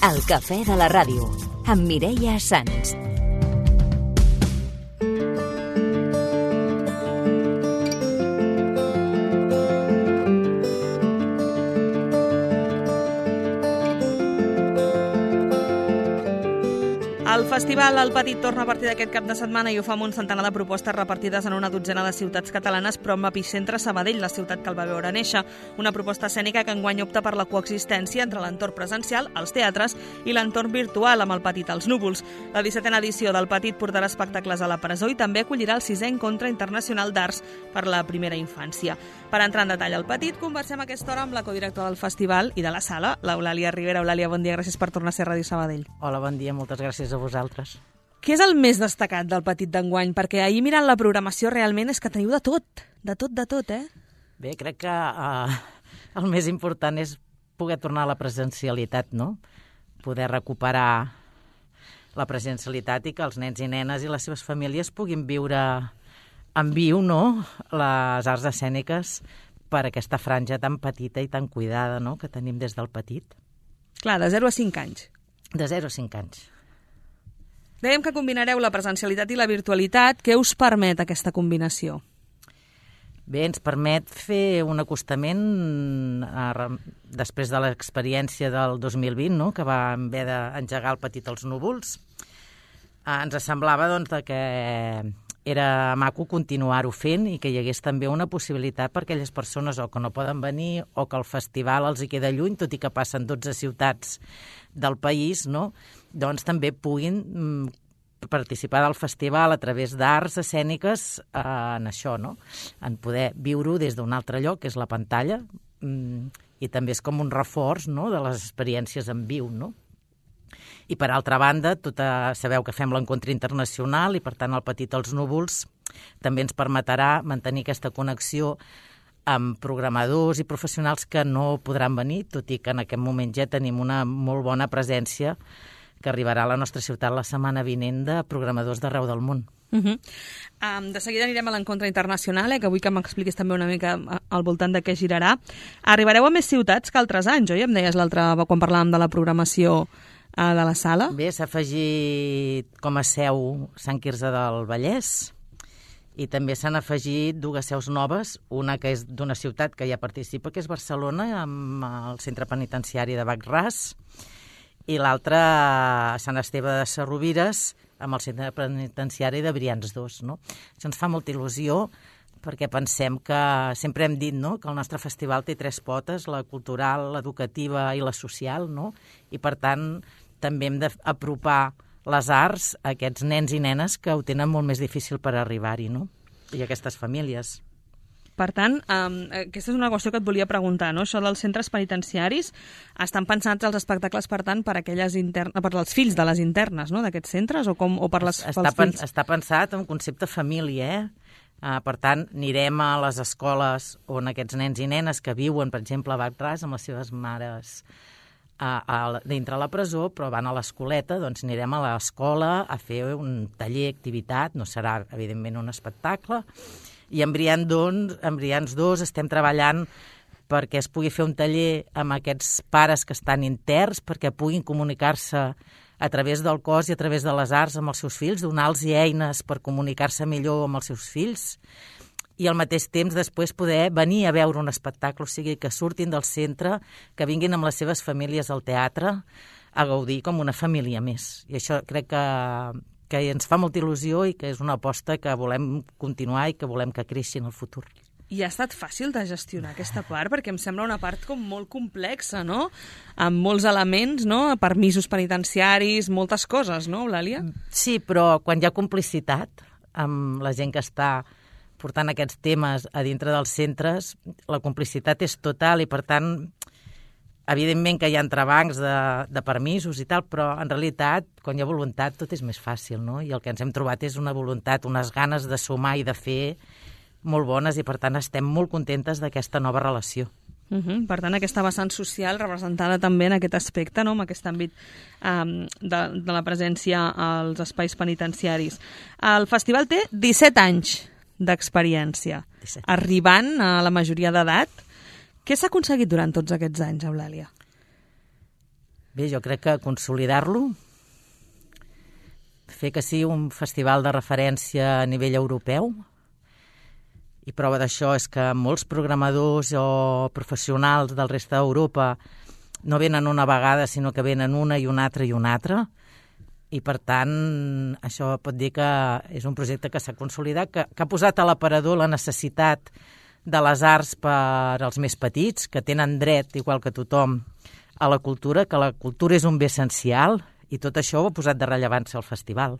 El cafè de la ràdio, amb Mireia Sans. El festival El Petit torna a partir d'aquest cap de setmana i ho fa amb un centenar de propostes repartides en una dotzena de ciutats catalanes, però amb epicentre Sabadell, la ciutat que el va veure néixer. Una proposta escènica que enguany opta per la coexistència entre l'entorn presencial, els teatres, i l'entorn virtual amb El Petit als núvols. La 17a edició del Petit portarà espectacles a la presó i també acollirà el 6è Encontre Internacional d'Arts per la primera infància. Per entrar en detall al Petit, conversem a aquesta hora amb la codirectora del festival i de la sala, l'Eulàlia Rivera. Eulàlia, bon dia, gràcies per tornar a ser Ràdio Sabadell. Hola, bon dia, moltes gràcies a vosaltres. Què és el més destacat del Petit d'enguany? Perquè ahir mirant la programació realment és que teniu de tot, eh? Bé, crec que el més important és poder tornar a la presencialitat, no? Poder recuperar la presencialitat i que els nens i nenes i les seves famílies puguin viure en viu, no?, les arts escèniques per aquesta franja tan petita i tan cuidada, no?, que tenim des del Petit. Clar, de 0 a 5 anys. De 0 a 5 anys. Dèiem que combinareu la presencialitat i la virtualitat. Què us permet aquesta combinació? Bé, ens permet fer un acostament després de l'experiència del 2020, no?, que vam haver d'engegar El Petit als núvols. Ens semblava doncs, que era maco continuar-ho fent i que hi hagués també una possibilitat per aquelles persones o que no poden venir o que el festival els hi queda lluny, tot i que passen 12 ciutats del país, no?, doncs també puguin participar del festival a través d'arts escèniques en això, no?, en poder viure-ho des d'un altre lloc, que és la pantalla, i també és com un reforç, no?, de les experiències en viu, no? I, per altra banda, sabeu que fem l'encontre internacional i, per tant, El Petit als núvols també ens permetrà mantenir aquesta connexió amb programadors i professionals que no podran venir, tot i que en aquest moment ja tenim una molt bona presència que arribarà a la nostra ciutat la setmana vinent de programadors d'arreu del món. De seguida anirem a l'encontre internacional, que vull que m'expliquis també una mica al voltant de què girarà. Arribareu a més ciutats que altres anys, oi? Em deies l'altre quan parlàvem de la programació de la sala. Bé, s'ha afegit com a seu Sant Quirze del Vallès i també s'han afegit 2 seus noves, una que és d'una ciutat que ja participa, que és Barcelona, amb el centre penitenciari de Bac-Ras, i l'altra a Sant Esteve de Sesrovires, amb el centre penitenciari de Brians 2. No? Això ens fa molta il·lusió perquè pensem que sempre hem dit, no?, que el nostre festival té 3 potes, la cultural, l'educativa i la social, no? I per tant també hem d'apropar les arts a aquests nens i nenes que ho tenen molt més difícil per arribar-hi, no?, i aquestes famílies. Per tant, aquesta és una qüestió que et volia preguntar, no? Això dels centres penitenciaris, estan pensats els espectacles, per tant, per als fills de les internes, no?, d'aquests centres, o per pels fills? Està pensat en concepte família, per tant, anirem a les escoles on aquests nens i nenes que viuen, per exemple, a Bac-Ras, amb les seves mares dintre la presó, però van a l'escoleta, doncs anirem a l'escola a fer un taller, activitat, no serà, evidentment, un espectacle, i en Brians 2 estem treballant perquè es pugui fer un taller amb aquests pares que estan interns, perquè puguin comunicar-se a través del cos i a través de les arts amb els seus fills, donar-los eines per comunicar-se millor amb els seus fills, i al mateix temps després poder venir a veure un espectacle, o sigui, que surtin del centre, que vinguin amb les seves famílies al teatre a gaudir com una família més. I això crec que ens fa molta il·lusió i que és una aposta que volem continuar i que volem que creixi en el futur. I ha estat fàcil de gestionar aquesta part? Perquè em sembla una part com molt complexa, no?, amb molts elements, no?, permisos penitenciaris, moltes coses, no, Eulàlia? Sí, però quan hi ha complicitat amb la gent que està portant aquests temes a dintre dels centres, la complicitat és total i, per tant, evidentment que hi ha entrebancs de permisos i tal, però en realitat, quan hi ha voluntat, tot és més fàcil, no? I el que ens hem trobat és una voluntat, unes ganes de sumar i de fer molt bones i, per tant, estem molt contentes d'aquesta nova relació. Per tant, aquesta vessant social representada també en aquest aspecte, no?, en aquest àmbit de la presència als espais penitenciaris. El festival té 17 anys d'experiència, arribant a la majoria d'edat. Què s'ha aconseguit durant tots aquests anys, Eulàlia? Bé, jo crec que consolidar-lo, fer que sigui un festival de referència a nivell europeu, i prova d'això és que molts programadors o professionals del resta d'Europa no venen una vegada, sinó que venen una i una altra i una altra, i per tant això pot dir que és un projecte que s'ha consolidat, que ha posat a l'aparador la necessitat de les arts per als més petits, que tenen dret, igual que tothom, a la cultura, que la cultura és un bé essencial, i tot això ho ha posat de rellevància al festival.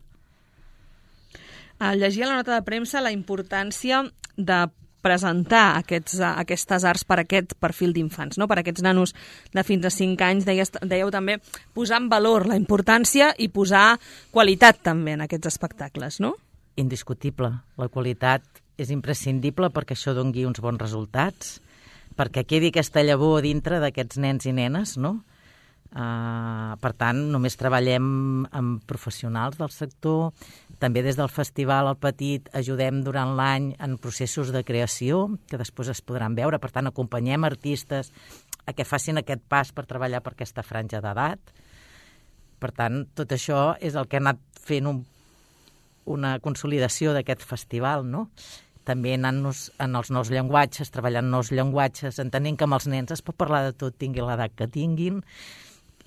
Llegia la nota de premsa la importància de presentar aquestes arts per aquest perfil d'infants, no? Per aquests nanos de fins a 5 anys. Dèieu també posar en valor la importància i posar qualitat també en aquests espectacles, no? Indiscutible. La qualitat és imprescindible perquè això doni uns bons resultats, perquè quedi aquesta llavor dintre d'aquests nens i nenes, no? Per tant, només treballem amb professionals del sector. També des del Festival El Petit ajudem durant l'any en processos de creació, que després es podran veure. Per tant, acompanyem artistes a que facin aquest pas per treballar per aquesta franja d'edat. Per tant, tot això és el que ha anat fent una consolidació d'aquest festival, no? També anant-nos en els nous llenguatges, treballant nous llenguatges, entenent que amb els nens es pot parlar de tot, tinguin l'edat que tinguin,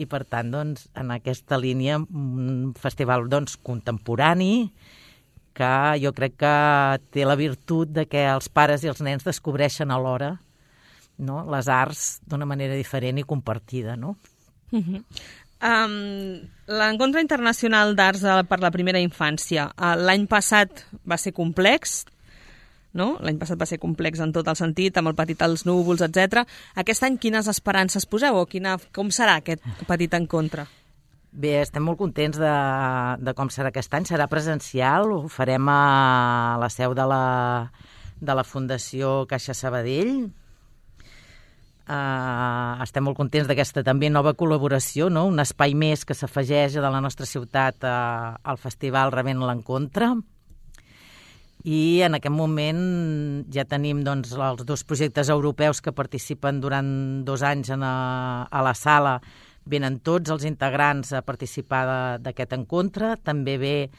i per tant, doncs, en aquesta línia, un festival contemporani que jo crec que té la virtut de que els pares i els nens descobreixen alhora, no?, les arts d'una manera diferent i compartida, no? L'Encontre Internacional d'Arts per la Primera Infància l'any passat va ser complex, no? L'any passat va ser complex en tot el sentit, amb el Petit als núvols, etc. Aquest any quines esperances poseu o com serà aquest Petit Encontre? Bé, estem molt contents de com serà aquest any. Serà presencial, ho farem a la seu de la Fundació Caixa Sabadell. Estem molt contents d'aquesta també nova col·laboració, no? Un espai més que s'afegeix de la nostra ciutat al festival rebent l'Encontre. I en aquest moment ja tenim doncs, els 2 projectes europeus que participen durant 2 anys a la sala. Venen tots els integrants a participar d'aquest encontre. També ve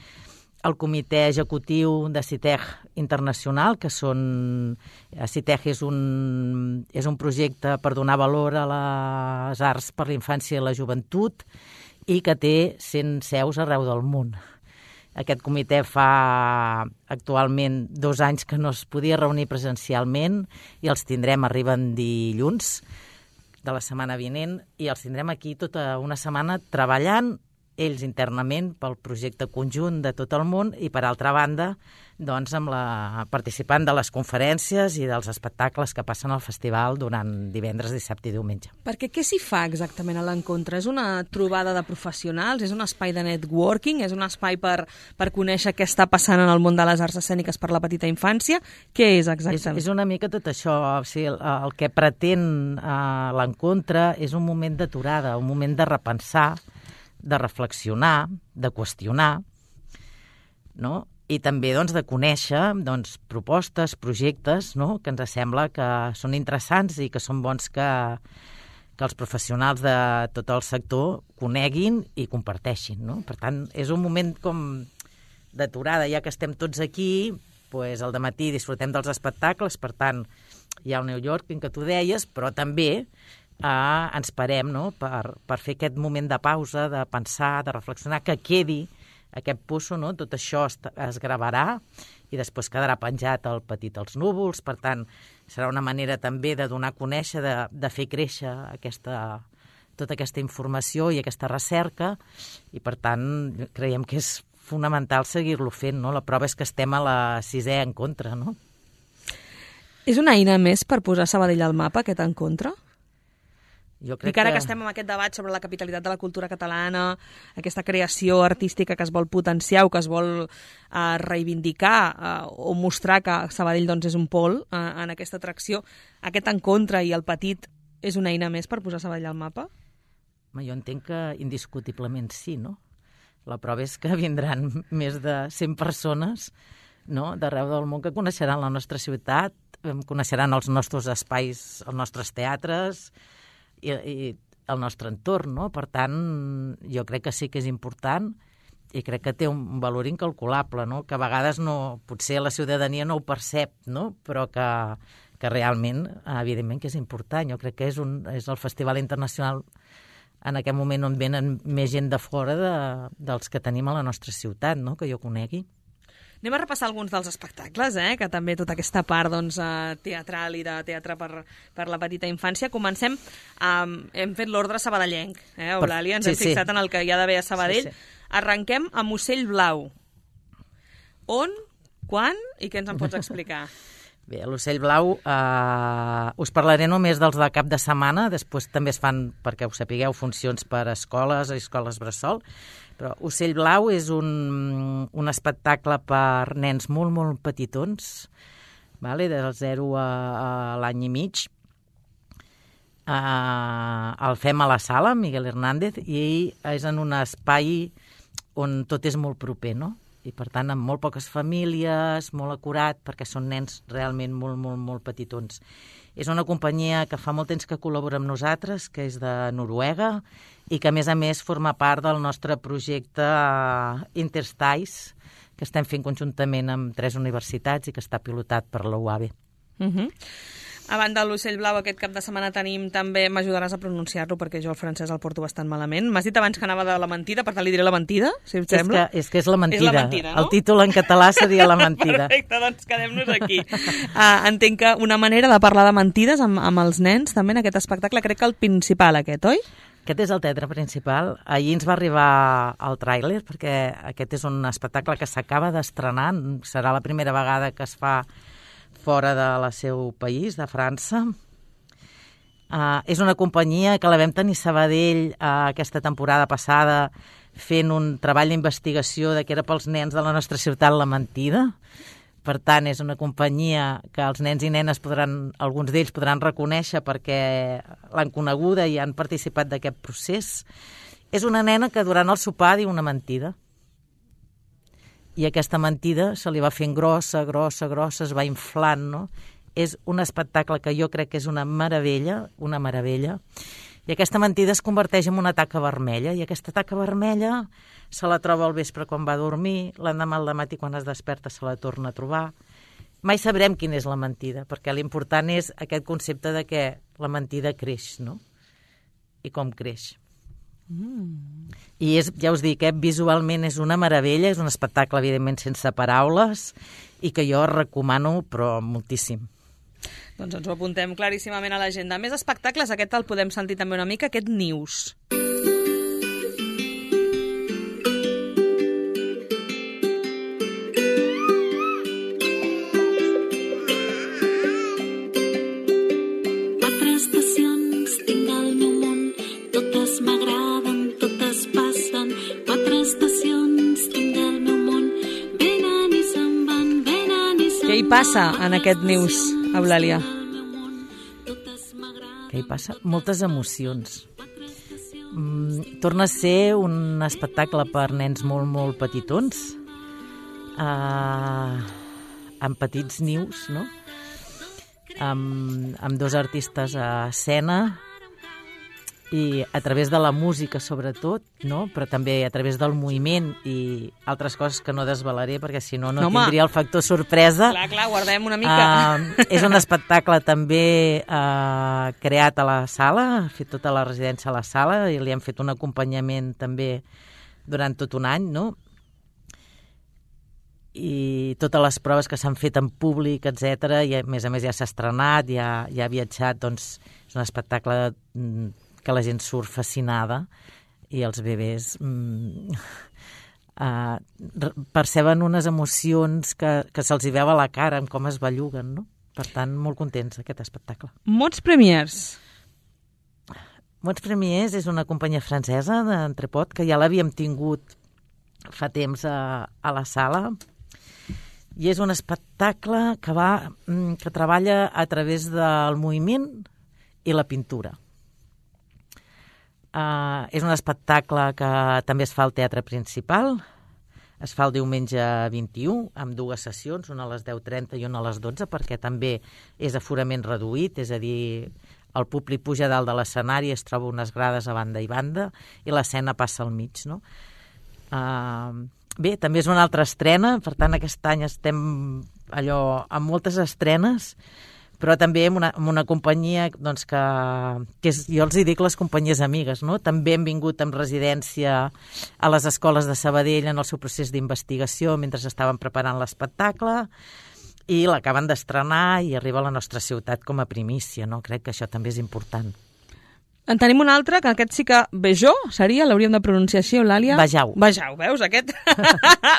el comitè executiu de CITEG Internacional, que CITEG és un projecte per donar valor a les arts per la infància i la joventut i que té 100 seus arreu del món. Aquest comitè fa actualment 2 anys que no es podia reunir presencialment i els tindrem, arriben dilluns de la setmana vinent, i els tindrem aquí tota una setmana treballant ells internament pel projecte conjunt de tot el món i, per altra banda, doncs, participant de les conferències i dels espectacles que passen al festival durant divendres, dissabte i diumenge. Perquè què s'hi fa exactament a l'encontre? És una trobada de professionals? És un espai de networking? És un espai per conèixer què està passant en el món de les arts escèniques per la petita infància? Què és exactament? És una mica tot això. O sigui, el que pretén l'encontre és un moment d'aturada, un moment de repensar, de reflexionar, de qüestionar, no? I també doncs, de conèixer propostes, projectes, no?, que ens sembla que són interessants i que són bons que els professionals de tot el sector coneguin i comparteixin, no? Per tant, és un moment com d'aturada, ja que estem tots aquí, doncs al dematí disfrutem dels espectacles, per tant, hi ha el New Yorking que tu deies, però també ens parem, no?, per fer aquest moment de pausa, de pensar, de reflexionar, que quedi aquest pusso, no? Tot això es gravarà i després quedarà penjat al Petit als núvols. Per tant, serà una manera també de donar a conèixer, de fer créixer tota aquesta informació i aquesta recerca, i per tant creiem que és fonamental seguir-lo fent, no? La prova és que estem a la 6è encontre, no? És una eina més per posar Sabadell al mapa, aquest encontre? Jo crec I que estem amb aquest debat sobre la capitalitat de la cultura catalana, aquesta creació artística que es vol potenciar o que es vol reivindicar o mostrar que Sabadell doncs, és un pol en aquesta atracció, aquest encontre i el Petit és una eina més per posar Sabadell al mapa? Jo entenc que indiscutiblement sí, no? La prova és que vindran més de 100 persones, no?, d'arreu del món, que coneixeran la nostra ciutat, coneixeran els nostres espais, els nostres teatres, i el nostre entorn, no? Per tant, jo crec que sí que és important i crec que té un valor incalculable, no? Que a vegades potser la ciutadania no ho percep, no? Però que realment, evidentment, que és important. Jo crec que és el festival internacional en aquest moment on venen més gent de fora dels que tenim a la nostra ciutat, no? Que jo conegui. Anem a repassar alguns dels espectacles, que també tota aquesta part teatral i de teatre per la petita infància. Comencem, hem fet l'ordre sabadellenc, Eulàlia, ens hem fixat en el que hi ha d'haver a Sabadell. Sí. Arrenquem amb Ocell Blau. On, quan i què ens en pots explicar? Bé, a l'Ocell Blau us parlaré només dels de cap de setmana, després també es fan, perquè ho sapigueu, funcions per escoles bressol, però Ocell Blau és un espectacle per nens molt, molt petitons, del 0 a l'any i mig. El fem a la sala, Miguel Hernández, i és en un espai on tot és molt proper, no? I, per tant, amb molt poques famílies, molt acurat, perquè són nens realment molt, molt, molt petitons. És una companyia que fa molt temps que col·labora amb nosaltres, que és de Noruega, i que, a més, forma part del nostre projecte Interstice, que estem fent conjuntament amb 3 universitats i que està pilotat per la UAB. A banda de l'Ocell Blau, aquest cap de setmana tenim també, m'ajudaràs a pronunciar-lo perquè jo el francès el porto bastant malament. M'has dit abans que anava de La Mentida, per tant li diré La Mentida, si et sembla. És que és La Mentida. És La Mentida, no? El títol en català seria La Mentida. Perfecte, doncs quedem-nos aquí. Entenc que una manera de parlar de mentides amb els nens també en aquest espectacle, crec que el principal aquest, oi? Aquest és el teatre principal. Ahir ens va arribar el tràiler, perquè aquest és un espectacle que s'acaba d'estrenar. Serà la primera vegada que es fa fora del seu país, de França. És una companyia que la vam tenir a Sabadell aquesta temporada passada fent un treball d'investigació de què era pels nens de la nostra ciutat La Mentida. Per tant, és una companyia que els nens i nenes alguns d'ells podran reconèixer perquè l'han coneguda i han participat d'aquest procés. És una nena que durant el sopar diu una mentida. I aquesta mentida se li va fent grossa, es va inflant, no? És un espectacle que jo crec que és una meravella, i aquesta mentida es converteix en una taca vermella, i aquesta taca vermella se la troba al vespre quan va a dormir, l'endemà al dematí quan es desperta se la torna a trobar. Mai sabrem quina és la mentida, perquè l'important és aquest concepte de que la mentida creix, no? I com creix. I ja us dic, visualment és una meravella, és un espectacle evidentment sense paraules i que jo recomano però moltíssim. Doncs ens ho apuntem claríssimament a l'agenda. Més espectacles, aquest el podem sentir també una mica, aquest News. Què hi passa en aquest News, Eulàlia? Què hi passa? Moltes emocions. Torna a ser un espectacle per nens molt, molt petitons, amb petits nius, no? Amb 2 artistes a escena, i a través de la música sobretot, no? Però també a través del moviment i altres coses que no desvelaré perquè si no tindria el factor sorpresa. Clar, guardem una mica. És un espectacle també creat a la sala, ha fet tota la residència a la sala i li hem fet un acompanyament també durant tot un any, no? I totes les proves que s'han fet en públic, etc. I a més ja s'ha estrenat, ja ha viatjat, doncs és un espectacle que la gent surt fascinada i els bebès perceben unes emocions que se'ls hi veu a la cara amb com es belluguen, no? Per tant, molt contents aquest espectacle. Mots Premiers. Mots Premiers és una companyia francesa d'Entrepot que ja l'havíem tingut fa temps a la sala i és un espectacle que treballa a través del moviment i la pintura. És un espectacle que també es fa al Teatre Principal, es fa el diumenge 21, amb 2 sessions, una a les 10:30 i una a les 12, perquè també és aforament reduït, és a dir, el públic puja dalt de l'escenari, es troba unes grades a banda i banda i l'escena passa al mig, no? Bé, també és una altra estrena, per tant aquest any estem amb moltes estrenes, però també amb una companyia doncs, que jo els hi dic les companyies amigues, no? També hem vingut amb residència a les escoles de Sabadell en el seu procés d'investigació mentre estaven preparant l'espectacle i l'acaben d'estrenar i arriba a la nostra ciutat com a primícia, no? Crec que això també és important. En tenim un altre, que aquest sí que Vejó seria, l'hauríem de pronunciar així, Eulàlia? Vejau. Vejau, veus, aquest?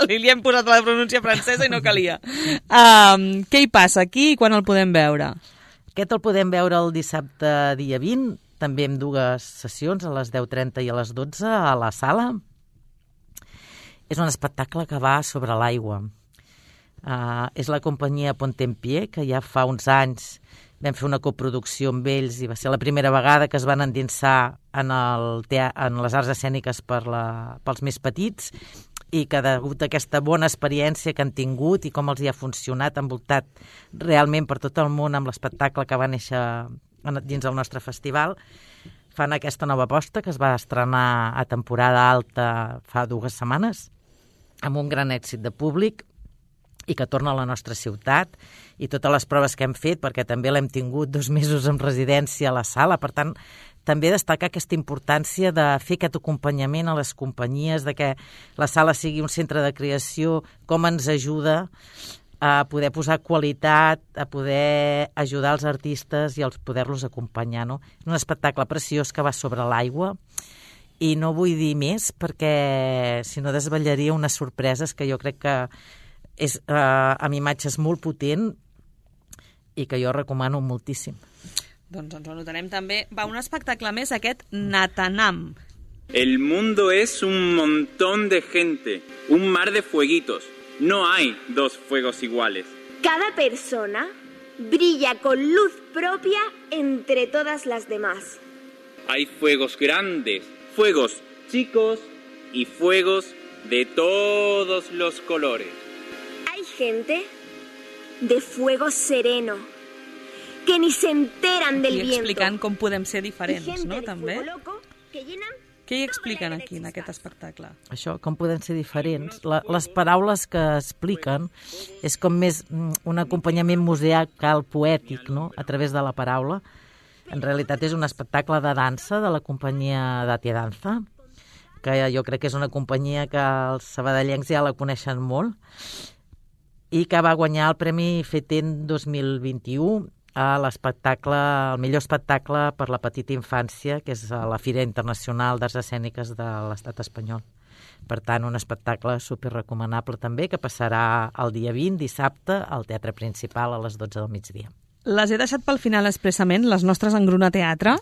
Li hem posat la pronúncia francesa i no calia. Què hi passa aquí i quan el podem veure? Aquest el podem veure el dissabte dia 20, també amb 2 sessions, a les 10:30 i a les 12, a la sala. És un espectacle que va sobre l'aigua. És la companyia Pontempié, que ja fa uns anys vam fer una coproducció amb ells i va ser la primera vegada que es van endinsar en les arts escèniques pels més petits i que degut a aquesta bona experiència que han tingut i com els hi ha funcionat, envoltat realment per tot el món amb l'espectacle que va néixer dins del nostre festival, fan aquesta nova aposta que es va estrenar a temporada alta fa 2 setmanes amb un gran èxit de públic i que torna a la nostra ciutat i totes les proves que hem fet, perquè també l'hem tingut 2 mesos en residència a la sala, per tant, també destacar aquesta importància de fer aquest acompanyament a les companyies, de que la sala sigui un centre de creació, com ens ajuda a poder posar qualitat, a poder ajudar els artistes i a poder-los acompanyar, no? És un espectacle preciós que va sobre l'aigua i no vull dir més perquè si no desvetllaria unes sorpreses que jo crec que és amb imatges molt potent i que jo recomano moltíssim. Doncs ens ho anotarem també. Va, un espectacle més, aquest Natanam. El mundo es un montón de gente, un mar de fueguitos. No hay 2 fuegos iguales. Cada persona brilla con luz propia entre todas las demás. Hay fuegos grandes, fuegos chicos y fuegos de todos los colores. Hay gente de fuego sereno que ni se enteran del viento. I explicant com podem ser diferents, no? També. Loco que llenan. Què hi expliquen aquí, en aquest espectacle? Això, com podem ser diferents. Les paraules que expliquen és com més un acompanyament musical poètic, no?, a través de la paraula. En realitat és un espectacle de dansa de la companyia Datia Danza, que jo crec que és una companyia que els sabadellencs ja la coneixen molt i que va guanyar el Premi FETEN 2021 a l'espectacle, el millor espectacle per la petita infància, que és a la Fira Internacional d'Arts Escèniques de l'Estat espanyol. Per tant, un espectacle superrecomanable també, que passarà el dia 20, dissabte, al Teatre Principal a les 12 del migdia. Les he deixat pel final expressament, les nostres Engruna Teatre.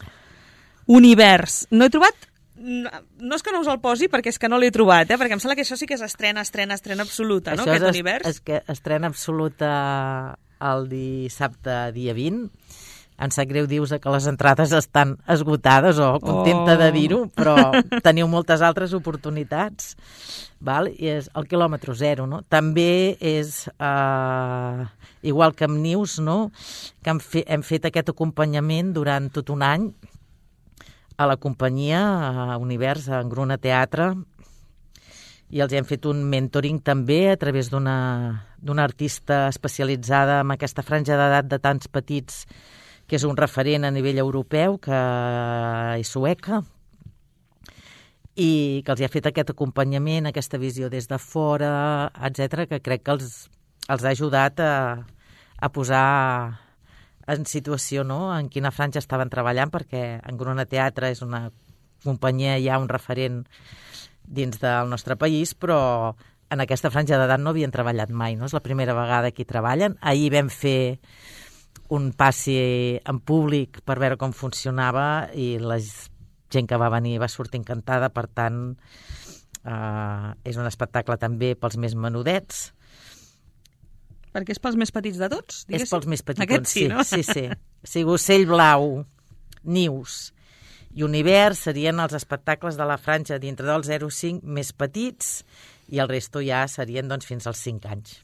Univers. No he trobat... No és que no us el posi, perquè és que no l'he trobat, perquè em sembla que això sí que és estrena absoluta, no? Aquest univers. És que estrena absoluta el dissabte dia 20. Em sap greu dir-vos que les entrades estan esgotades, o contenta de dir-ho, però teniu moltes altres oportunitats. Val? I és el quilòmetre zero, no? També és igual que amb Nius, no?, que hem fet aquest acompanyament durant tot un any a la companyia Univers, a Engruna Teatre, i els hem fet un mentoring també a través d'una artista especialitzada en aquesta franja d'edat de tants petits, que és un referent a nivell europeu, que és sueca, i que els ha fet aquest acompanyament, aquesta visió des de fora, etc., que crec que els ha ajudat a posar en situació, no?, en quina franja estaven treballant, perquè Engruna Teatre és una companyia ja un referent dins del nostre país, però en aquesta franja d'edat no havien treballat mai, no? És la primera vegada que hi treballen. Ahir vam fer un passi en públic per veure com funcionava i la gent que va venir va sortir encantada, per tant, és un espectacle també pels més menudets. Perquè és pels més petits de tots, diguéssim? És pels més petits, Aquest sí, no? Sí. O sigui, Ocell Blau, Nius i Univers serien els espectacles de la franja dintre del 0-5 més petits i el resto ja serien doncs, fins als 5 anys.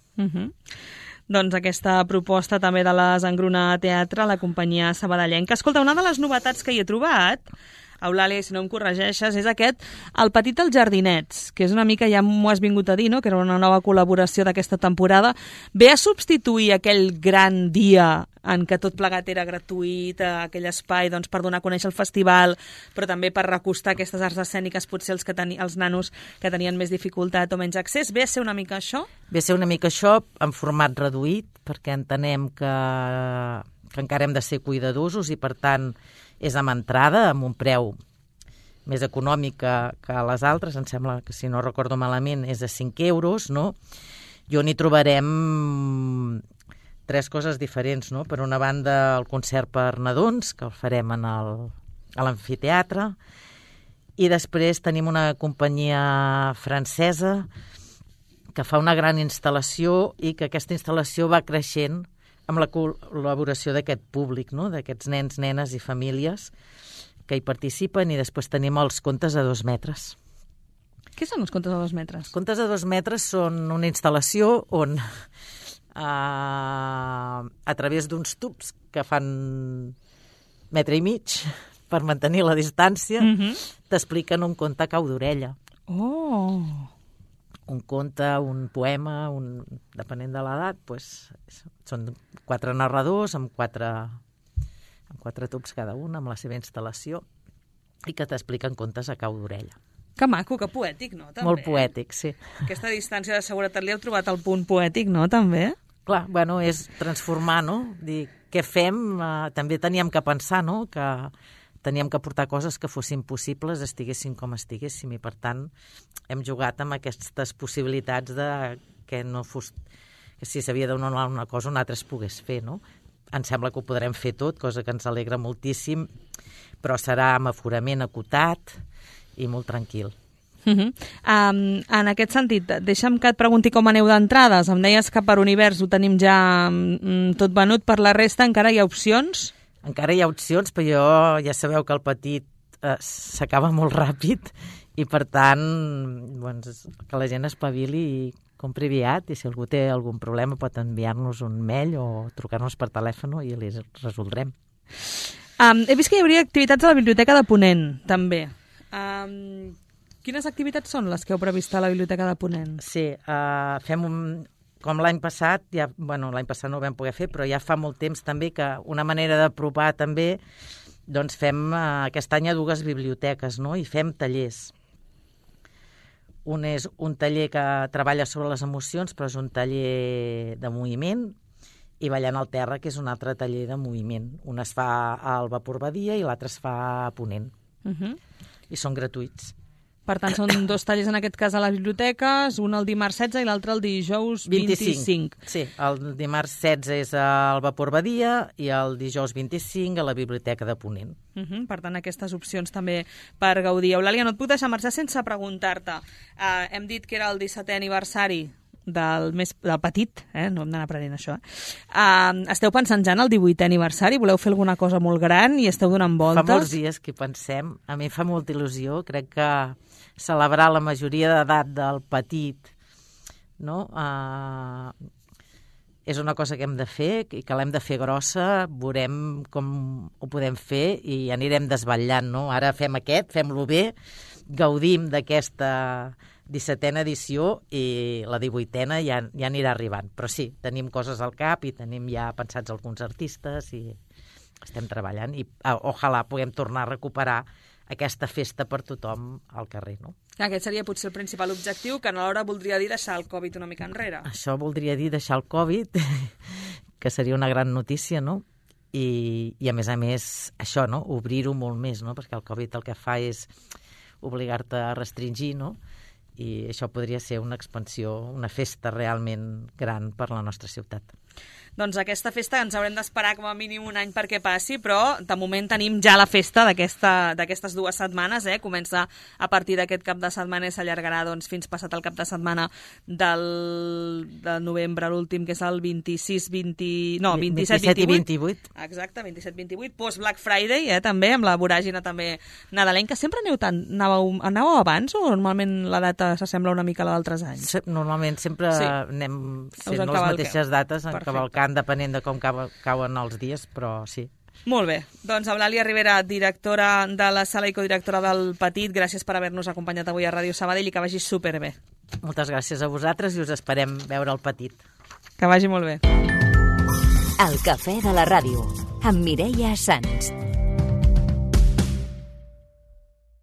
doncs, aquesta proposta també de les Engruna Teatre, la companyia sabadellenca. Escolta, una de les novetats que hi he trobat, Eulàlia, si no em corregeixes, és aquest, El petit dels jardinets, que és una mica, ja m'ho has vingut a dir, no?, que era una nova col·laboració d'aquesta temporada. Ve a substituir aquell gran dia en què tot plegat era gratuït, aquell espai doncs, per donar a conèixer el festival, però també per recostar aquestes arts escèniques, potser els nanos que tenien més dificultat o menys accés. Ve a ser una mica això? Ve a ser una mica això, en format reduït, perquè entenem que encara hem de ser cuidadosos i, per tant, és amb entrada, amb un preu més econòmic que les altres. Em sembla que, si no recordo malament, és de 5 euros, no? I on hi trobarem 3 coses diferents, no? Per una banda, el concert per nadons, que el farem a l'amfiteatre, i després tenim una companyia francesa que fa una gran instal·lació i que aquesta instal·lació va creixent amb la col·laboració d'aquest públic, no?, d'aquests nens, nenes i famílies que hi participen, i després tenim els contes a 2 metres. Què són els contes a 2 metres? Els contes a 2 metres són una instal·lació on a través d'uns tubs que fan 1,5 metres per mantenir la distància, t'expliquen un conte a cau d'orella. Oh! Un conte, un poema, depenent de l'edat, doncs, són 4 narradors amb 4 tubs cada un, amb la seva instal·lació, i que t'expliquen contes a cau d'orella. Que maco, que poètic, no? També. Molt poètic, sí. Aquesta distància de seguretat li heu trobat el punt poètic, no? També? Clar, bueno, és transformar, no? Dir, què fem? També teníem que pensar, no?, que teníem que portar coses que fossin possibles, estiguessin com estiguéssim, i per tant hem jugat amb aquestes possibilitats de que no fos, que si s'havia de donar una cosa una altra es pogués fer, no? Em sembla que ho podrem fer tot, cosa que ens alegra moltíssim, però serà amb aforament acotat i molt tranquil. En aquest sentit, deixa'm que et pregunti com aneu d'entrades. Em deies que per Univers ho tenim ja tot venut, per la resta encara hi ha opcions? Encara hi ha opcions, però ja sabeu que el petit s'acaba molt ràpid i, per tant, doncs, que la gent espavili i compri aviat, i si algú té algun problema pot enviar-nos un mail o trucar-nos per telèfon i li resoldrem. He vist que hi hauria activitats a la Biblioteca de Ponent, també. Quines activitats són les que heu previst a la Biblioteca de Ponent? Sí, fem com l'any passat, l'any passat no ho vam poder fer, però ja fa molt temps també que una manera d'apropar també, doncs fem aquest any a 2 biblioteques, no?, i fem tallers. Un és un taller que treballa sobre les emocions, però és un taller de moviment, i Ballant al terra, que és un altre taller de moviment. Un es fa al Vapor Badia i l'altre es fa a Ponent. I són gratuïts. Per tant, són 2 tallers en aquest cas a les biblioteques, un el dimarts 16 i l'altre el dijous 25. Sí, el dimarts 16 és al Vapor Badia i el dijous 25 a la Biblioteca de Ponent. Per tant, aquestes opcions també per gaudir. Eulàlia, no et puc deixar marxar sense preguntar-te. Hem dit que era el 17è aniversari del petit, no hem d'anar aprenent això. Esteu pensant ja en el 18è aniversari? Voleu fer alguna cosa molt gran i esteu donant voltes? Fa molts dies que pensem. A mi fa molta il·lusió. Crec que celebrar la majoria d'edat del petit, no?, és una cosa que hem de fer i que l'hem de fer grossa. Veurem com ho podem fer i anirem desvetllant, no? Ara fem fem-lo bé, gaudim d'aquesta 17a edició i la 18a ja anirà arribant. Però sí, tenim coses al cap i tenim ja pensats alguns artistes i estem treballant i ojalà puguem tornar a recuperar aquesta festa per tothom al carrer, no? Aquest seria potser el principal objectiu, que alhora voldria dir deixar el Covid una mica enrere. Això voldria dir deixar el Covid, que seria una gran notícia, no? I a més, això, no?, obrir-ho molt més, no?, perquè el Covid el que fa és obligar-te a restringir, no?, i això podria ser una expansió, una festa realment gran per la nostra ciutat. Doncs aquesta festa ens haurem d'esperar com a mínim un any perquè passi, però de moment tenim ja la festa d'aquestes 2 setmanes, Comença a partir d'aquest cap de setmana i s'allargarà doncs, fins passat el cap de setmana de novembre, l'últim, que és el 27 i 28. Exacte, 27-28, post-Black Friday, també, amb la voràgina també nadalenca. Sempre anàveu abans o normalment la data s'assembla una mica a la d'altres anys? Normalment sempre anem fent les mateixes dates en cavalcant depenent de com cauen els dies, però sí. Molt bé. Doncs Eulàlia Rivera, directora de la sala i codirectora del Petit, gràcies per haver-nos acompanyat avui a Ràdio Sabadell i que vagi superbé. Moltes gràcies a vosaltres i us esperem veure el Petit. Que vagi molt bé. El cafè de la ràdio, amb Mireia Sans.